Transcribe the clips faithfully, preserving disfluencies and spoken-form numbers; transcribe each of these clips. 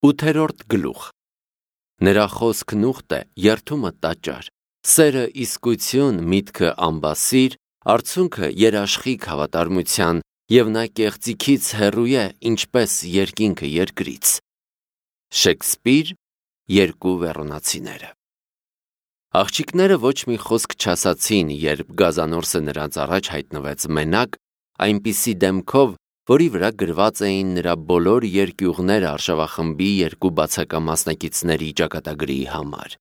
Ութերորդ գլուխ։ Նրա խոսքն ուխտ է, երդումը տաճար, սերը իսկություն, միտքը ամբասիր, արցունքը երաշխիք հավատարմության, և նա կեղծիքից հեռու է, ինչպես երկինքը երկրից։ Շեքսպիր, երկու վերոնացիները։ Աղջիկները ոչ մի խոսք չասացին, երբ գազանորսը նրանց առաջ հայտնվեց մենակ, այնպիսի դեմքով, որի վրա գրված էին նրա բոլոր երկյուղները արշավախմբի երկու բացակա մասնակիցների ճակատագրի համար։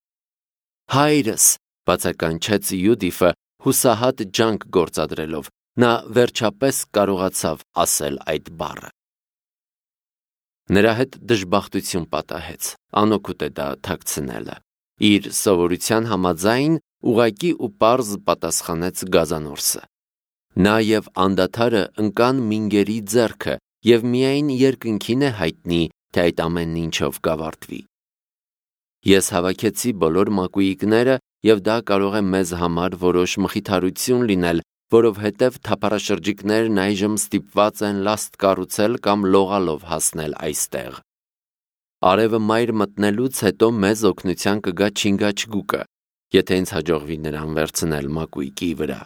Հայրս, բացականչեց Յուդիֆը հուսահատ ջանք գործադրելով, նա վերջապես կարողացավ ասել այդ բառը։ Նրա հետ դժբախտություն պատահեց, անօգուտ է դա թաքցնելը։ Իր սովորության համաձայն ուղղակի ու պարզ պատասխանեց գազանորսը։ Նա և անդադարը ընկան մինգերի ձեռքը, և միայն երկնքին է հայտնի, թե այդ ամեն ինչով կավարտվի։ Ես հավաքեցի բոլոր մակույիկները, և դա կարող է մեզ համար որոշ մխիթարություն լինել, որովհետև թափառաշրջիկներն այժմ ստիպված են լաստ կառուցել կամ լողալով հասնել այստեղ։ Արևը մայր մտնելուց հետո մեզ օգնության կգա չինգաչգուկը, եթե ինձ հաջողվի նրան վերցնել մակույկի վրա։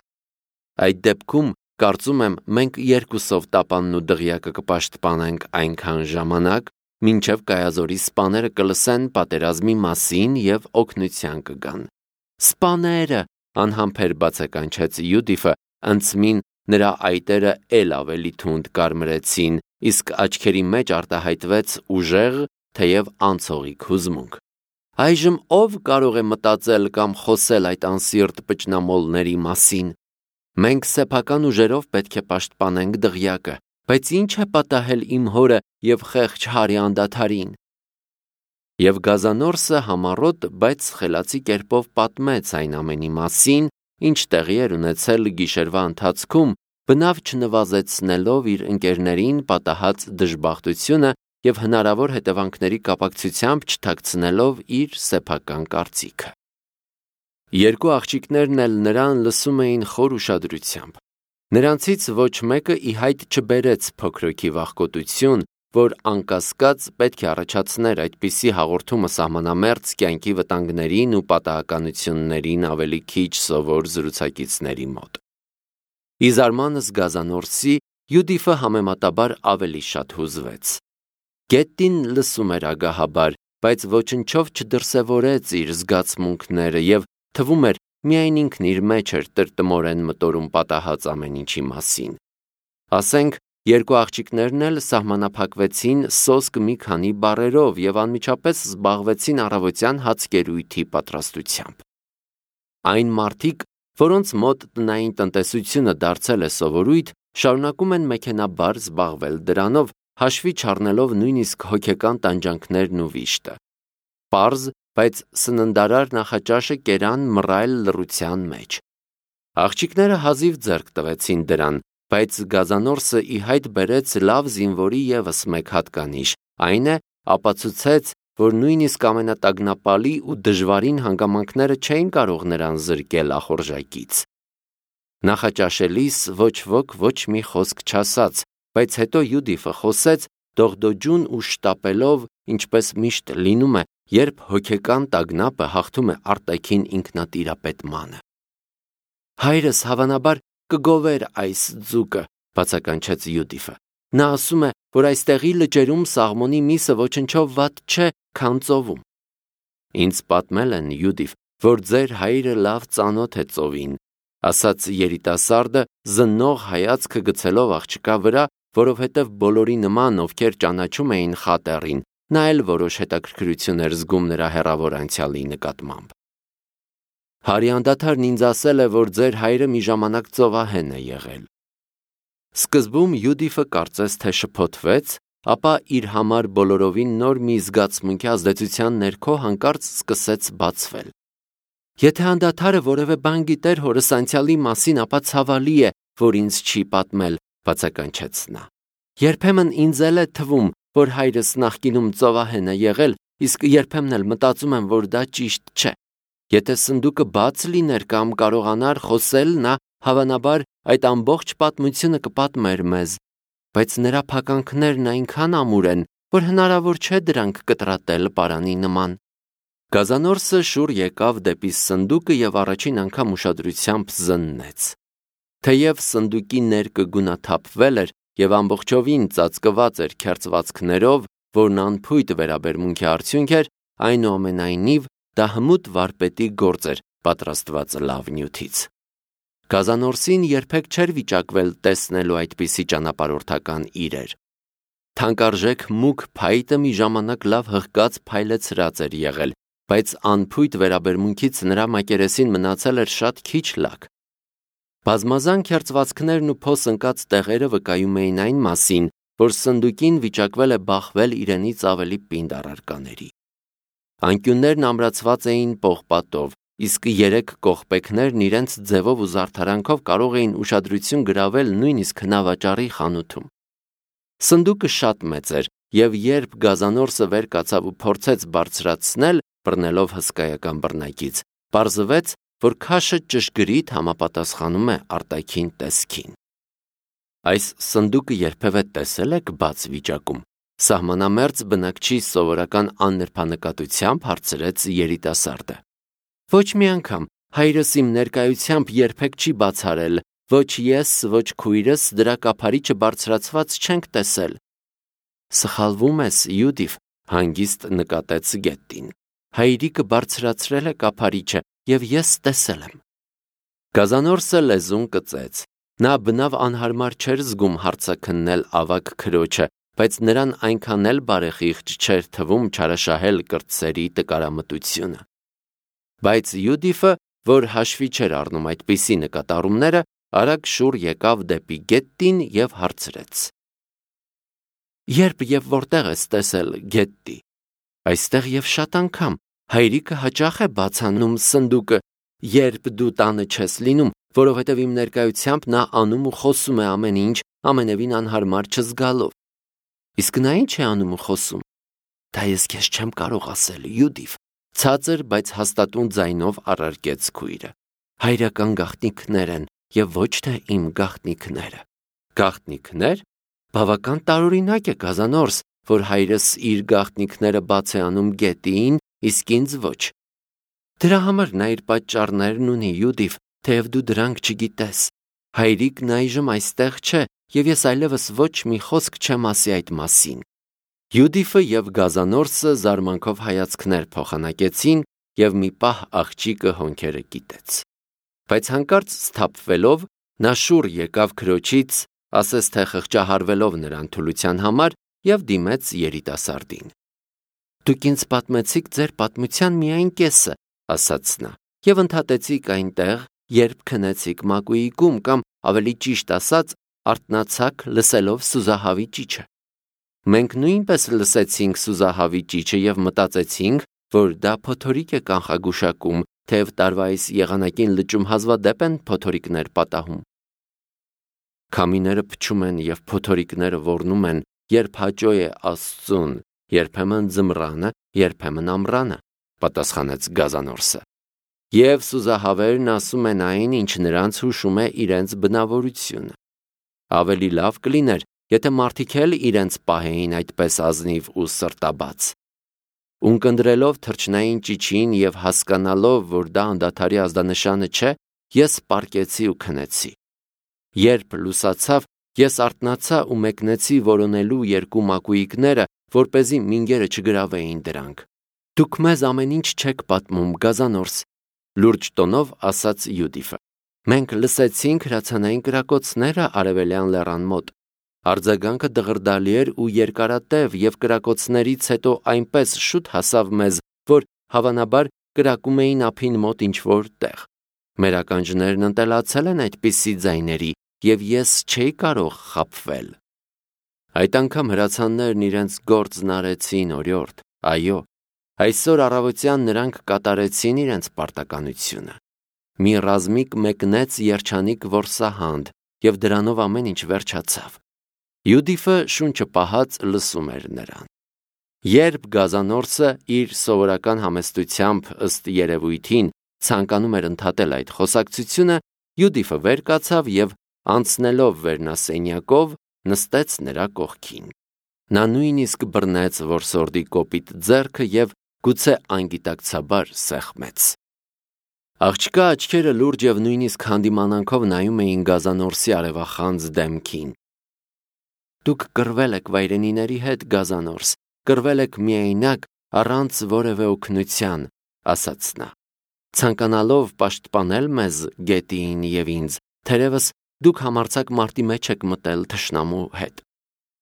Այդ դեպքում, կարծում եմ, մենք երկուսով տապանն ու դղյակը կպաշտպանենք այնքան ժամանակ, մինչև Կայազորի սպաները կլսեն պատերազմի մասին և օգնության կգան։ Սպաները, անհամբեր բացականչեց Յուդիֆը, ընցմին նրա այտերը էլ ավելի թունդ կարմրեցին, իսկ աչքերի մեջ արտահայտվեց ուժեղ, թեև անցողիկ հուզմունք։ Այժմ ով կարող է մտածել կամ խոսել այդ անսիրտ պճնամոլների մասին։ Մենք սեփական ուժերով պետք է պաշտպանենք դղյակը, բայց ի՞նչ է պատահել իմ հորը և խեղճ հարի անդադարին։ Եվ գազանորսը համառոտ, բայց խելացի կերպով պատմեց այն ամենի մասին, ինչ տեղի էր ունեցել գիշերվա ընթացքում, բնավ չնվազեցնելով իր ընկերներին պատահած դժբախտությունը և հնարավոր հետևանքների կապակցությամբ չթաքցնելով իր սեփական կարծիքը։ Երկու աղջիկներն էլ նրան լսում էին խոր ուշադրությամբ։ Նրանցից ոչ մեկը ի հայտ չբերեց փոքրոքի վախկոտություն, որ անկասկած պետք է առաջացներ այդպիսի հաղորդումը սահմանամերձ կյանքի վտանգներին ու պատահականություններին ավելի քիչ սովոր զրուցակիցների մոտ։ Ի զարմանս գազանորսի, Յուդիֆը համեմատաբար ավելի շատ հուզվեց։ Գետտին լսում էր ագահաբար, բայց ոչնչով չդրսևորեց իր զգացմունքները և թվում էր միայն ինքն իր մեջ էր տրտմորեն մտորում պատահած ամեն ինչի մասին։ Ասենք, երկու աղջիկներն էլ սահմանափակվեցին սոսկ մի քանի բառերով և անմիջապես զբաղվեցին առավոտյան հացկերույթի պատրաստությամբ։ Այն մարդիկ, որոնց մոտ տնային տնտեսությունը դարձել է սովորույթ, շարունակում են մեքենաբար զբաղվել դրանով, հաշվի չառնելով նույնիսկ հոգեկան տանջանքներն ու վիշտը։ Պարզ, բայց սննդարար նախաճաշը կերան մռայլ լռության մեջ։ Աղջիկները հազիվ ձեռք տվեցին դրան, բայց գազանորսը ի հայտ բերեց լավ զինվորի ևս մեկ հատկանիշ, այն է, ապացուցեց, որ նույնիսկ ամենատագնապալի ու դժվարին հանգամանքները չէին կարող նրան զրկել ախորժակից։ Նախաճաշելիս ոչ ոք ոչ մի խոսք չասաց, բայց հետո Յուդիֆը խոսեց, դողդոջուն ու շտապելով, ինչպես միշտ լինում է, երբ հոգեկան տագնապը հաղթում է արտաքին ինքնատիրապետմանը։ Հայրս հավանաբար կգովեր այս ձուկը, բացականչեց Յուդիֆը։ Նա ասում է, որ այստեղի լճերում սաղմոնի միսը ոչնչով վատ չէ, քան ծովում։ Ինձ պատմել են, Յուդիֆ, որ ձեր հայրը լավ ծանոթ է ծովին, ասաց երիտասարդը, զննող հայացքը գցելով աղջկա վրա, որովհետև բոլորի նման, ովքեր ճանաչում էին խատեռին, նա էլ որոշ հետաքրքրություն էր զգում նրա հեռավոր անցյալի նկատմամբ։ Հարի անդադարն ինձ ասել է, որ ձեր հայրը մի ժամանակ ծովահեն է եղել։ Սկզբում Յուդիֆը կարծես թե շփոթվեց, ապա իր համար բոլորովին նոր մի զգացմունքի ազդեցության ներքո հանկարծ սկսեց բացվել։ Եթե անդադարը որևէ բան գիտեր հորս անցյալի մասին, ապա ցավալի է, որ ինձ չի պատմել, բացականչեց նա։ Երբեմն ինձ էլ է թվում, որ հայրս նախկինում ծովահեն է եղել, իսկ երբեմն էլ մտածում եմ, որ դա ճիշտ չէ։ Եթե սնդուկը բաց լիներ կամ կարողանար խոսել, նա հավանաբար այդ ամբողջ պատմությունը կպատմեր մեզ, բայց նրա փականքներն այնքան ամուր են, որ հնարավոր չէ դրանք կտրատել պարանի նման։ Գազանորսը շուռ եկավ դեպի սնդուկը եւ առաջին անգամ ուշադրությամբ զննեց։ Թեև սնդուկի ներկը գունաթափվել էր եւ ամբողջովին ծածկված էր քերծվածքներով, որն անփույթ վերաբերմունքի արդյունք էր, այնուամենայնիվ դա հմուտ վարպետի գործ էր, պատրաստված լավ նյութից։ Գազանորսին երբեք չէր վիճակվել տեսնելու այդպիսի ճանապարհորդական իրեր։ Թանկարժեք մուգ փայտը մի ժամանակ լավ հղկած փայլեցրած էր եղել, բայց անփույթ վերաբերմունքից նրա մակերեսին մնացել էր շատ քիչ լակ։ Բազմազան քերծվածքներն ու փոս ընկած տեղերը վկայում էին այն մասին, որ սնդուկին վիճակվել է բախվել իրենից ավելի պինդ առարկաների։ Անկյուններն ամրացված էին պողպատով, իսկ երեք կողպեքներն իրենց ձևով ու զարդարանքով կարող էին ուշադրություն գրավել նույնիսկ հնավաճառի խանութում։ Սնդուկը շատ մեծ էր, եւ երբ Գազանորսը վեր կացավ ու փորձեց բարձրացնել, բռնելով հսկայական բռնակից, պարզվեց, որ քաշը ճշգրիտ համապատասխանում է արտաքին տեսքին։ Այս սնդուկը երբևէ տեսել եք բաց վիճակում։ Սահմանամերձ բնակչի սովորական աննրբանկատությամբ հարցրեց երիտասարդը։ Ոչ մի անգամ, հայրս իմ ներկայությամբ երբեք չի բացառել, ոչ ես, ոչ քույրս դրա կափարիչը բարձրացված չենք տեսել։ Սխալվում ես, Յուդիֆ, հանգիստ նկատեց Գետտին։ Հայրիկը բարձրացրել է կափարիչը եւ ես տեսել եմ։ Գազանորսը լեզուն կծեց։ Նա բնավ անհարմար չէր զգում հարցաքննել ավագ քրոջը, բայց նրան այնքան էլ բարեխիղճ չէր թվում չարաշահել կրտսերի տկարամտությունը։ Բայց Յուդիֆը, որ հաշվի չէր առնում այդպիսի նկատառումները, արագ շուռ եկավ դեպի Գետտին եւ հարցրեց. Երբ եւ որտեղ ես տեսել Գետտի։ Այստեղ եւ շատ անգամ, հայրիկը հաճախ է բացանում սնդուկը, երբ դու տանը չես լինում, որովհետև իմ ներկայությամբ նա անում ու խոսում է ամեն ինչ, ամենևին անհարմար չզգալով։ Իսկ նա ինչ է անում ու խոսում։ Դա ես քեզ չեմ կարող ասել, Յուդիֆ, ցածր, բայց հաստատուն ձայնով առարկեց քույրը։ Հայրական գաղտնիքներ են եւ ոչ թե իմ գաղտնիքները։ Գաղտնիքներ։ Բավական տարօրինակ է, Գազանորս, որ հայրս իր գաղտնիքները բաց է անում Գետտիին, իսկ ինձ ոչ։ Դրա համար նա իր պատճառներն ունի, Յուդիֆ, թեև դու դրանք չգիտես։ Հայրիկն այժմ այստեղ չէ, եւ ես այլևս ոչ մի խոսք չեմ ասի այդ մասին։ Յուդիֆը եւ Գազանորսը զարմանքով հայացքներ փոխանակեցին, եւ մի պահ աղջիկը հոնքերը կիտեց։ Բայց հանկարծ սթափվելով, նա շուռ եկավ քրոջից, ասես թե խղճահարվելով նրան թուլության համար, եւ դիմեց երիտասարդին։ Դուք ինձ պատմեցիք ձեր պատմության միայն կեսը, ասաց նա, եւ ընդհատեցիք այնտեղ, երբ քնեցիք մակուի գում կամ ավելի ճիշտ ասած, արթնացաք լսելով սուզահավի ճիչը։ Մենք նույնպես լսեցինք սուզահավի ճիչը եւ մտածեցինք, որ դա փոթորիկ է կանխագուշակում, թեև տարվա այս եղանակին լճում հազվադեպ են փոթորիկներ պատահում։ Քամիները փչում են եւ փոթորիկները ոռնում են, երբ հաճո է Աստծուն, երբեմն ձմռանը, երբեմն ամռանը, պատասխանեց Գազանորսը։ Եվ սուզահավերն ասում են այն, ինչ նրանց հուշում է իրենց բնավորությունը։ Ավելի լավ կլիներ, եթե մարդիկ էլ իրենց պահեին այդպես ազնիվ ու սրտաբաց։ Ունկնդրելով թրջնային ճիչին եւ հասկանալով, որ դա անդադարի ազդանշանը չէ, ես պառկեցի ու քնեցի։ Երբ լուսացավ, ես արթնացա ու մեկնեցի որոնելու երկու մակույիկները, որպեսզի մինգերը չգրավեին դրանք։ Դուք մեզ ամեն ինչ չեք պատմում, Գազանորս, լուրջ տոնով ասաց Յուդիֆը։ Մենք լսեցինք հրացանային կրակոցները արևելյան լեռան մոտ։ Արձագանքը դղրդալի էր ու երկարատև եւ կրակոցներից հետո այնպես շուտ հասավ մեզ, որ հավանաբար կրակում էին ափին մոտ ինչ-որ տեղ։ Մեր ականջներն ընտելացել են այդպիսի ձայների եւ ես չէի կարող խաբվել։ Այդ անգամ հրացաններն իրենց գործն արեցին, օրիորդ, այո, այսօր առավոտյան նրանք կատարեցին իրենց պարտականությունը։ Մի ռազմիկ մեկնեց երջանիկ որսահանդ եւ դրանով ամեն ինչ վերջացավ։ Յուդիֆը շունչը պահած լսում էր նրան։ Երբ Գազանորսը իր սովորական համեստությամբ ըստ երևույթին ցանկանում էր ընդհատել այդ խոսակցությունը, Յուդիֆը վեր կացավ եւ անցնելով վերնասենյակով նստեց նրա կողքին։ Նա նույնիսկ բռնեց որսորդի կոպիտ ձեռքը և գուցե անգիտակցաբար սեղմեց։ Աղջկա աչքերը լուրջ և նույնիսկ հանդիմանանքով նայում էին գազանորսի արևախանձ դեմքին։ Դուք կռվել եք վայրենիների հետ, գազանորս, կռվել եք միայնակ, առանց որևէ օգնության, ասաց նա։ Ցանկանալով պաշտպանել մեզ, գետին և ինձ, թերևս դուք համարձակ մարտի մեջ եք մտել թշնամու հետ։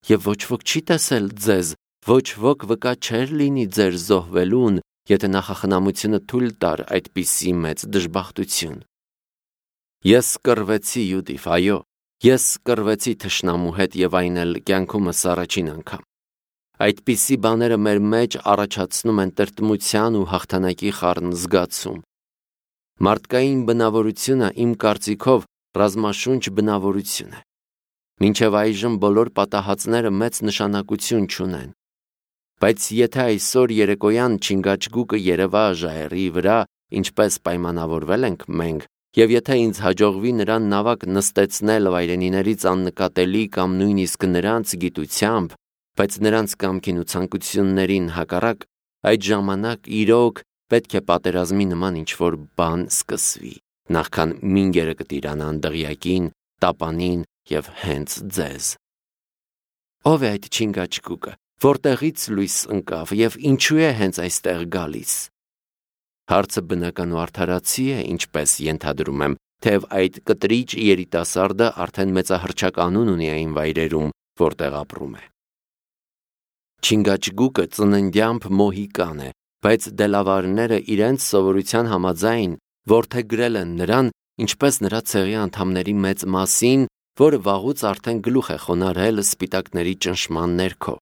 Եվ ոչ ոք չի տեսել ձեզ, ոչ ոք վկա չէր լինի ձեր զոհվելուն, եթե նախախնամությունը թույլ տար այդպիսի մեծ դժբախտություն։ Ես կռվեցի, Յուդիֆ, այո, ես կռվեցի թշնամու հետ և այն էլ կյանքումս առաջին անգամ։ Այդպիսի բաները մեր մեջ առաջացնում են տրտմության ու հաղթանակի խառն զգացում։ Մարդկային բնավորությունը իմ կարծիքով ռազմաշունչ բնավորություն է։ Մինչև այժմ բոլոր պատահածները մեծ նշանակություն չունեն։ Բայց եթե այսօր երեկոյան Չինգաչգուկը երևա ժայռի վրա, ինչպես պայմանավորվել ենք մենք, և եթե ինձ հաջողվի նրան նավակ նստեցնել վայրենիներից աննկատելի կամ նույնիսկ նրանց գիտությամբ, բայց նրանց կամքին ու ցանկություններին հակառակ, այդ ժամանակ իրոք պետք է պատերազմի նման ինչ-որ բան սկսվի, նախքան մինգերը կտիրանան դղյակին, տապանին և հենց ձեզ։ Ո՞վ է այդ Չինգաչգուկը, որտեղից լույս ընկավ և ինչու է հենց այստեղ գալիս։ Հարցը բնական ու արդարացի է, ինչպես ենթադրում եմ, թեև այդ կտրիչ երիտասարդը արդեն մեծահռչակ անուն ունի այն վայրերում, որտեղ ապրում է։ Չինգաչգուկը ծննդյամբ մոհիկան է, բայց դելավարները իրենց սովորության համաձայն որդեգրել են նրան, ինչպես նրա ցեղի անդամների մեծ մասին, որը վաղուց արդեն գլուխ է խոնարհել սպիտակների ճնշման ներքո։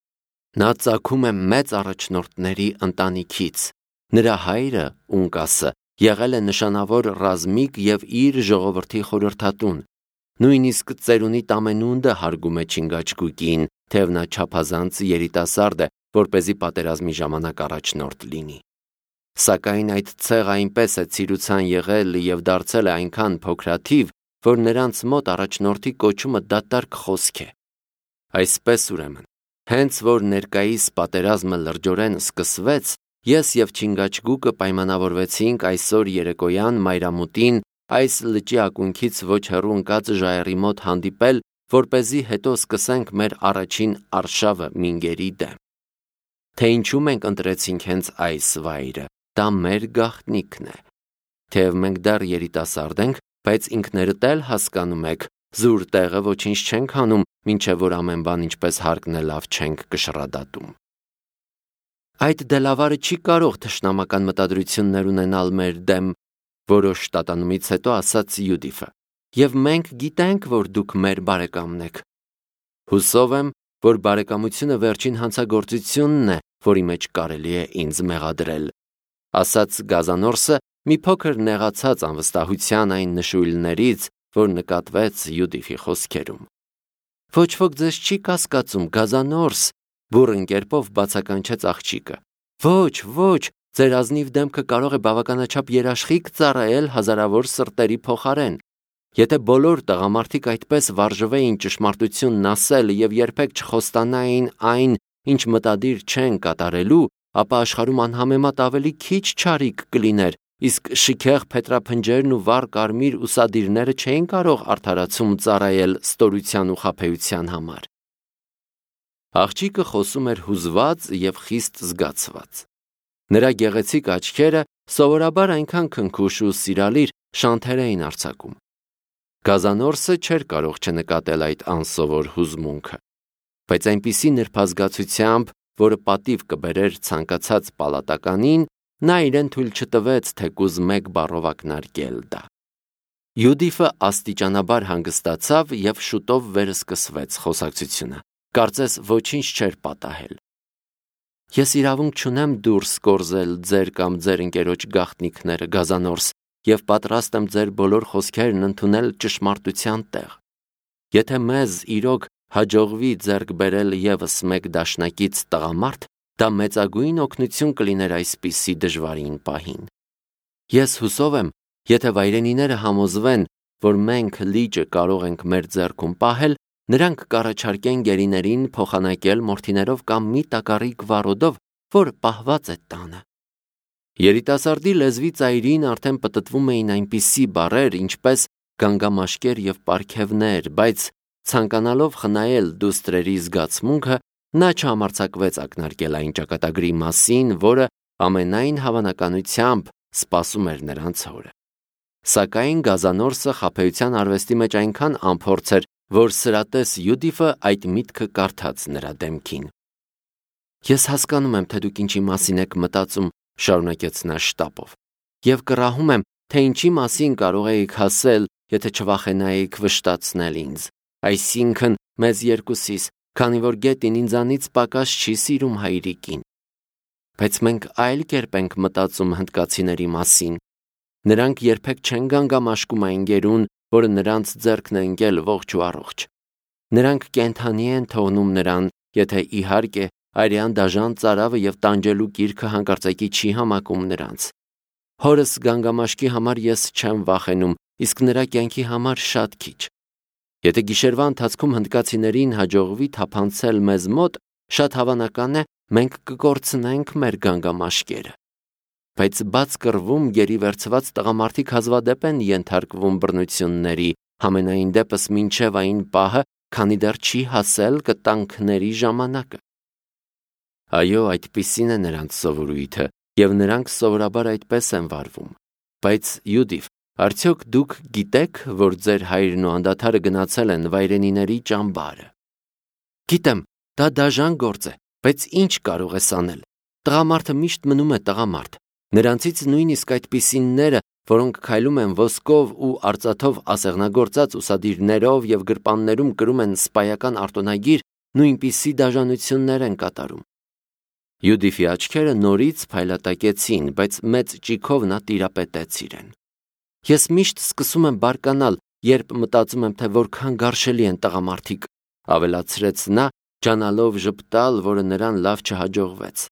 Նա ծագում է մեծ առաջնորդների ընտանիքից։ Նրա հայրը, Ունկասը, եղել է նշանավոր ռազմիկ և իր ժողովրդի խորհրդատուն։ Նույնիսկ ծերունի Տամենունդը հարգում է Չինգաչգուկին, թեև նա չափազանց երիտասարդ է, որպեսզի պատերազմի ժամանակ առաջնորդ լինի։ Սակայն այդ ցեղը այնպես է ցիրուցան եղել և դարձել է այնքան փոքրաթիվ, որ նրանց մոտ առաջնորդի կոչումը դատարկ խոսք է։ Այսպես ուրեմն, հենց որ ներկայիս պատերազմը լրջորեն սկսվեց, ես և Չինգաչգուկը պայմանավորվեցինք այսօր երեկոյան մայրամուտին այս լճի ակունքից ոչ հեռու ընկած ժայռի մոտ հանդիպել, որպեսզի հետո սկսենք մեր առաջին արշավը մինգերի դեմ։ Թե ինչու մենք ընտրեցինք հենց այս վայրը, դա մեր գաղտնիքն է։ Թեև մենք դեռ երիտասարդ ենք, բայց ինքներդ էլ հասկանում եք, զուր տեղը ոչինչ չենք անում, մինչև որ ամեն բան ինչպես հարկն է լավ չենք կշռադատում։ Այդ դելավարը չի կարող թշնամական մտադրություններ ունենալ մեր դեմ, որոշ տատանումից հետո ասաց Յուդիֆը, և մենք գիտենք, որ դուք մեր բարեկամն եք։ Հուսով եմ, որ բարեկամությունը վերջին հանցագործությունն է, որի մեջ կարելի է ինձ մեղադրել, ասաց Գազանորսը մի փոքր նեղացած անվստահության այն նշույլներից, որ նկատվեց Յուդիֆի խոսքերում։ Ոչ ոք ձեզ չի կասկածում, Գազանորս, բուռն կերպով բացականչեց աղջիկը։ Ոչ, ոչ, ձեր ազնիվ դեմքը կարող է բավականաչափ երաշխիք ծառայել հազարավոր սրտերի փոխարեն։ Եթե բոլոր տղամարդիկ այդպես վարժվեին ճշմարտությունն ասել և երբեք չխոստանային այն, ինչ մտադիր չեն կատարելու, ապա աշխարհում անհամեմատ ավելի քիչ չարիք կլիներ, իսկ շիքեղ փետրափնջերն ու վառ կարմիր ուսադիրները չէին կարող արդարացում ծառայել ստորության ու խաբեության համար։ Աղջիկը խոսում էր հուզված և խիստ զգացված։ Նրա գեղեցիկ աչքերը սովորաբար այնքան քնքուշ ու սիրալիր շանթեր էին արձակում։ Գազանորսը չէր կարող չնկատել այդ անսովոր հուզմունքը, բայց այնպիսի նրբազգացությամբ, որը պատիվ կբերեր ցանկացած պալատականին, նա իրեն թույլ չտվեց թեկուզ մեկ բառով ակնարկել դա։ Յուդիֆը աստիճանաբար հանգստացավ և շուտով վերսկսվեց խոսակցությունը, կարծես ոչինչ չէր պատահել։ Ես իրավունք չունեմ դուրս կորզել ձեր կամ ձեր ընկերոջ գաղտնիքները, Գազանորս, և պատրաստ եմ ձեր բոլոր խոսքերն ընդունել ճշմարտության տեղ։ Եթե մեզ իրոք հաջողվի ձեռք բերել ևս մեկ դաշնակից տղամարդ, դա մեծագույն օգնություն կլիներ այսպիսի դժվարին պահին։ Ես հուսով եմ, եթե վայրենիները համոզվեն, որ մենք լիճը կարող ենք մեր ձեռքում պահել, նրանք կառաջարկեն գերիներին փոխանակել մորթիներով կամ մի տակառիկ վառոդով, որ պահված է տանը։ Երիտասարդի լեզվի ծայրին արդեն պտտվում էին այնպիսի բառեր, ինչպես գանգամաշկեր եւ պարգևներ, բայց ցանկանալով խնայել դուստրերի զգացմունքը, նա չհամարձակվեց ակնարկել այն ճակատագրի մասին, որը ամենայն հավանականությամբ սպասում էր նրանց հորը։ Սակայն Գազանորսը խաբեության արվեստի մեջ այնքան անփորձ էր, որ սրատես Յուդիֆը այդ միտքը կարդաց նրա դեմքին։ Ես հասկանում եմ, թե դուք ինչի մասին եք մտածում, շարունակեց նա շտապով, եւ կռահում եմ, թե ինչի մասին կարող էիք հասել, եթե չվախենայիք վշտացնել ինձ, այսինքն մեզ երկուսիս, քանի որ գետին ինձանից պակաս չի սիրում հայրիկին։ Բայց մենք այլ կերպ ենք մտածում հնդկացիների մասին։ Նրանք երբեք չեն գանգամաշկում այն գերուն, որը նրանց ձեռքն է ընկել ողջ ու առողջ։ Նրանք կենդանի են թողնում նրան, եթե իհարկե արյան դաժան ծարավը եւ տանջելու գիրքը հանկարծակի չի համակում նրանց։ Հորս գանգամաշկի համար ես չեմ վախենում, իսկ նրա կյանքի համար շատ քիչ։ Եթե գիշերվա ընթացքում հնդկացիներին հաջողվի թափանցել մեզ մոտ, շատ հավանական է, մենք կկորցնենք մեր գանգամաշկերը։ Բայց բաց կռվում գերի վերցված տղամարդիկ հազվադեպ են ենթարկվում բռնությունների, համենայն դեպս մինչև այն պահը, քանի դեռ չի հասել կտանքների ժամանակը։ Այո, այդպիսին է նրանց սովորույթը, եւ նրանք սովորաբար այդպես են վարվում։ Բայց Յուդիֆ, արդյոք դուք գիտեք, որ ձեր հայրն ու անդադարը գնացել են վայրենիների ճամբարը։ Գիտեմ, դա դաժան գործ է, բայց ինչ կարող ես անել։ Տղամարդը միշտ մնում է տղամարդ։ Նրանցից նույնիսկ այդպիսինները, որոնք քայլում են ոսկով ու արծաթով ասեղնագործած ուսադիրներով եւ գրպաններում կրում են սպայական արտոնագիր, նույնպիսի դաժանություններ են կատարում։ Յուդիֆի աչքերը նորից փայլատակեցին, բայց մեծ ճիգով նա տիրապետեց իրեն։ Ես միշտ սկսում եմ բարկանալ, երբ մտածում եմ, թե որքան գարշելի են տղամարդիկ, ավելացրեց նա, ջանալով ժպտալ, որը նրան լավ չհաջողվեց։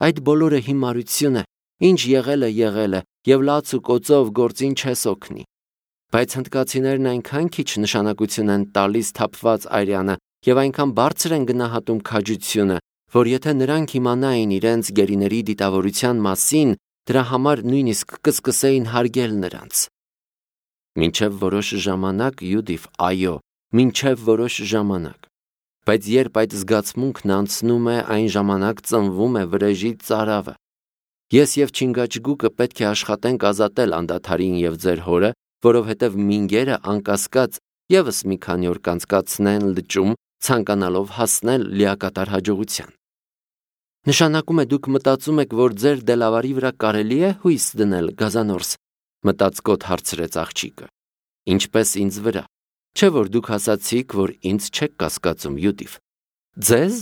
Այդ բոլորը հիմարություն է, ինչ եղել է, եղել է, եւ լաց ու կոծով գործին չես օգնի։ Բայց հնդկացիներն այնքան քիչ նշանակություն են տալիս թափված արյանը եւ այնքան բարձր են գնահատում քաջությունը, որ եթե նրանք իմանային իրենց գերիների դիտավորության մասին, դրա համար նույնիսկ կսկսեին հարգել նրանց։ Մինչև որոշ ժամանակ, Յուդիֆ, այո, մինչև որոշ ժամանակ։ Բայց երբ այդ զգացմունքն անցնում է, այն ժամանակ ծնվում է վրեժի ծարավը։ Ես եւ Չինգաչգուկը պետք է աշխատենք ազատել անդադարին եւ ձեր հորը, որովհետեւ մինգերը անկասկած եւս մի քանի օր կանցկացնեն լճում, ցանկանալով հասնել լիակատար հաջողության։ Նշանակում է դուք մտածում եք, որ ձեր դելավարի վրա կարելի է հույս դնել, Գազանորս, մտածկոտ հարցրեց աղջիկը։ Ինչպես ինձ վրա։ Չէ՞ որ դուք ասացիք, որ ինձ չեք կասկածում, Յուդիֆ։ Ձեզ։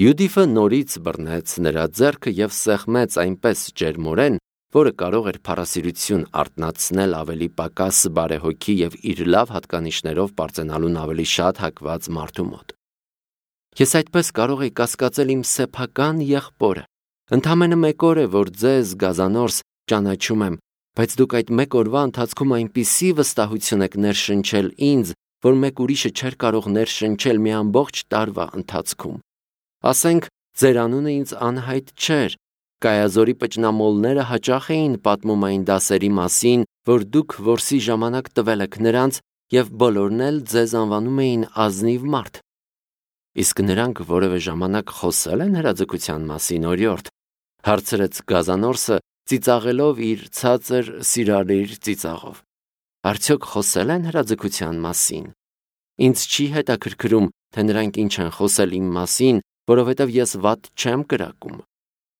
Յուդիֆը նորից բռնեց նրա ձեռքը եւ սեղմեց այնպես ջերմորեն, որը կարող էր փառասիրություն արտնացնել ավելի պակաս բարեհոգի եւ իր լավ հատկանիշներով բարձենալուն ավելի շատ հակված մարդու մոտ։ Ես այդպես կարող եի կասկածել իմ սեփական եղբորը։ Ընդամենը մեկ օր է, որ ձեզ, Գազանորս, ճանաչում եմ, բայց դուք այդ մեկ օրվա ընթացքում այնպիսի վստահություն եք ներշնչել ինձ, որ մեկ ուրիշը չէր կարող ներշնչել մի ամբողջ տարվա ընթացքում։ Ասենք, ձեր անունը ինձ անհայտ չէր։ Կայազորի պճնամոլները հաճախ էին պատմում այն դասերի մասին, որ դուք որսի ժամանակ տվել եք նրանց, եւ բոլորն էլ ձեզ անվանում էին ազնիվ մարդ։ Իսկ նրանք որևէ ժամանակ խոսել են հրաձգության մասին, օրիորդ, հարցրեց Գազանորսը, ծիծաղելով իր ցածր սիրալիր ծիծաղով։ Արդյոք խոսել են հրաձգության մասին։ Ինձ չի հետաքրքրում, թե նրանք ինչ են խոսել իմ մասին, որովհետև ես վատ չեմ կրակում։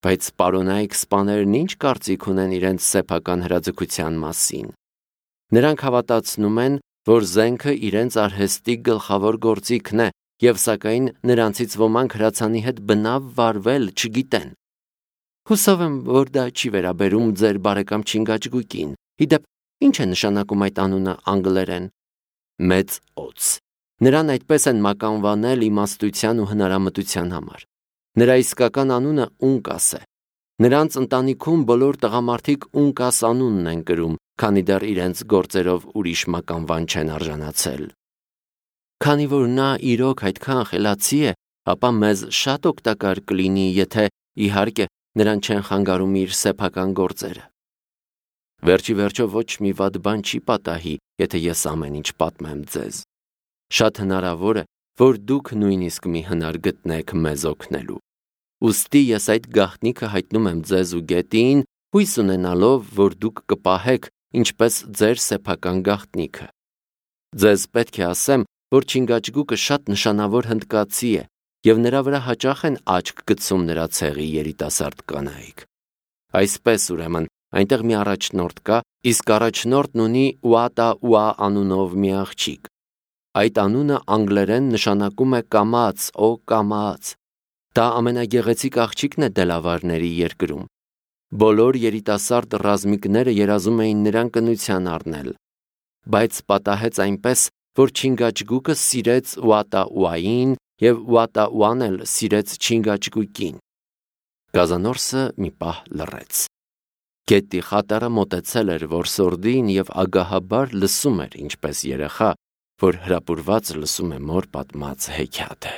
Բայց պարոնայք սպաներն ինչ կարծիք ունեն իրենց սեփական հրաձգության մասին։ Նրանք հավատացնում են, որ զենքը իրենց արհեստի գլխավոր գործիքն է, եւ սակայն նրանցից ոմանք հրացանի հետ բնավ վարվել չգիտեն։ Հուսով եմ, որ դա չի վերաբերում ձեր բարեկամ Չինգաչգուկին։ Իդեպ, ինչ է նշանակում այդ անունը անգլերեն։ Մեծ օծ։ Նրան այդպես են մականվանել իմաստության ու հնարամտության համար։ Նրա իսկական անունը Ունկաս է։ Նրանց ընտանիքում բոլոր տղամարդիկ Ունկաս անունն են կրում, քանի դեռ իրենց գործերով ուրիշ մականվան չեն արժանացել։ Քանի որ նա իրոք այդքան խելացի է, ապա մեզ շատ օգտակար կլինի, եթե իհարկե նրան չեն խանգարում իր սեփական գործերը։ Վերջի վերջո ոչ մի վատ բան չի պատահի, եթե ես ամեն ինչ պատմեմ ձեզ։ Շատ հնարավոր է, որ դուք նույնիսկ մի հնար գտնեք մեզ օգնելու։ Ուստի ես այդ գաղտնիքը հայտնում եմ ձեզ ու գետին, հույս ունենալով, որ դուք կպահեք ինչպես ձեր սեփական գաղտնիքը։ Ձեզ պետք է ասեմ, որ Չինգաչգուկը շատ նշանավոր հնդկացի է, և նրա վրա հաճախ են աչք գցում նրա ցեղի երիտասարդ կանայք։ Այսպես ուրեմն, այնտեղ մի առաջնորդ կա, իսկ առաջնորդն ունի Ուատա Ուա անունով մի աղջիկ։ Այդ անունը անգլերեն նշանակում է կամաց, օ կամաց։ Դա ամենագեղեցիկ աղջիկն է Դելավարների երկրում։ Բոլոր երիտասարդ ռազմիկները երազում էին նրան կնության առնել։ Բայց պատահեց այնպես, որ Չինգաչգուկը սիրեց Ուատա Ուային և Ուատա Ուան էլ սիրեց Չինգաչգուկին։ Գազանորսը մի պահ լռեց։ Գետի խատարը մոտեցել էր որսորդին և ագահաբար լսում էր ինչպես երեխա, որ հրապուրված լսում է մոր պատմած հեքիաթը։